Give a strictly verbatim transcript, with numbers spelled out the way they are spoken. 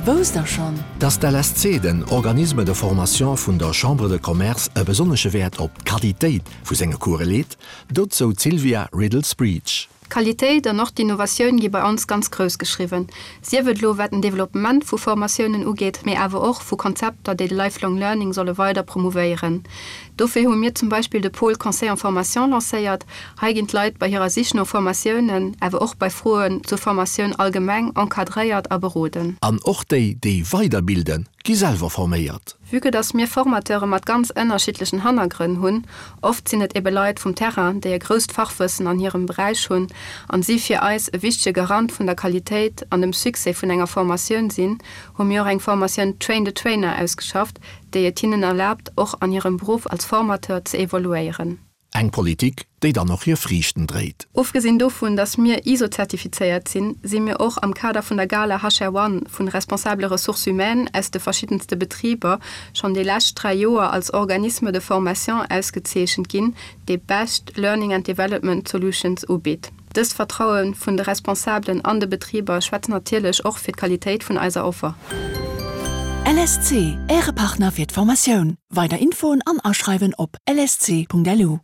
Wousst der schonn? Dass d'L S C, den Organisme de formation vun der Chambre de Commerce, e besonnesche Wäert op d'Qualitéit vu senge Course leet, dozou d'Sylvia Riddles-Breach. Qualitéit an och d'Innovatioun gi bei ons ganz grouss geschriwwen. Sief et lo wat den Developpement vu Formatiounen ugeet, mee awer och vu Konzepter, déi de Lifelong Learning solle weider promouvéieren. Dofir hu mir zum Beispill de Pôle Conseil en Formation lancéiert. Hei ginn d'Leit bei hirer Sich no Formatiounen, awer och bei Froen zur Formatioun allgemeng encadréiert a beroden. An och déi, déi weiderbilden, gi selwer forméiert. Vue que dass mir Formateure mat ganz ënnerschiddlechen Hannergrënn hunn, oft sinn et ebe Leit vum Terrain, déi e grousst Fachwëssen an hirem Beräich hunn an si fir eis e wichtege Garant vun der Qualitéit an dem Succès vun enger Formatioun sinn, hu mir och eng Formatioun Train the Trainer ausgeschafft, déi et hinnen erlaabt, och an hirem Beruff als Formateur ze evoluéieren. Eng Politik, déi dann och hir Friichten dréit. Ofgesinn dovun, dass mir ISO-zertifizéiert sinn, si mir och am Kader vun der Gala H R One vun responsabele Ressources humaines aus de verschiddenste Betriber schonn déi lescht dräi Joer als Organisme de formation ausgezeechent ginn, dee Best Learning and Development Solutions ubitt. Dëst Vertraue vun de Responsabelen an de Betriber schwätzt natierlech och fir d'Qualitéit vun eiser Offer. L S C, Äre Partner fir d'Formatioun. Weider Infoen an Aschreiwen op L S C Punkt L U.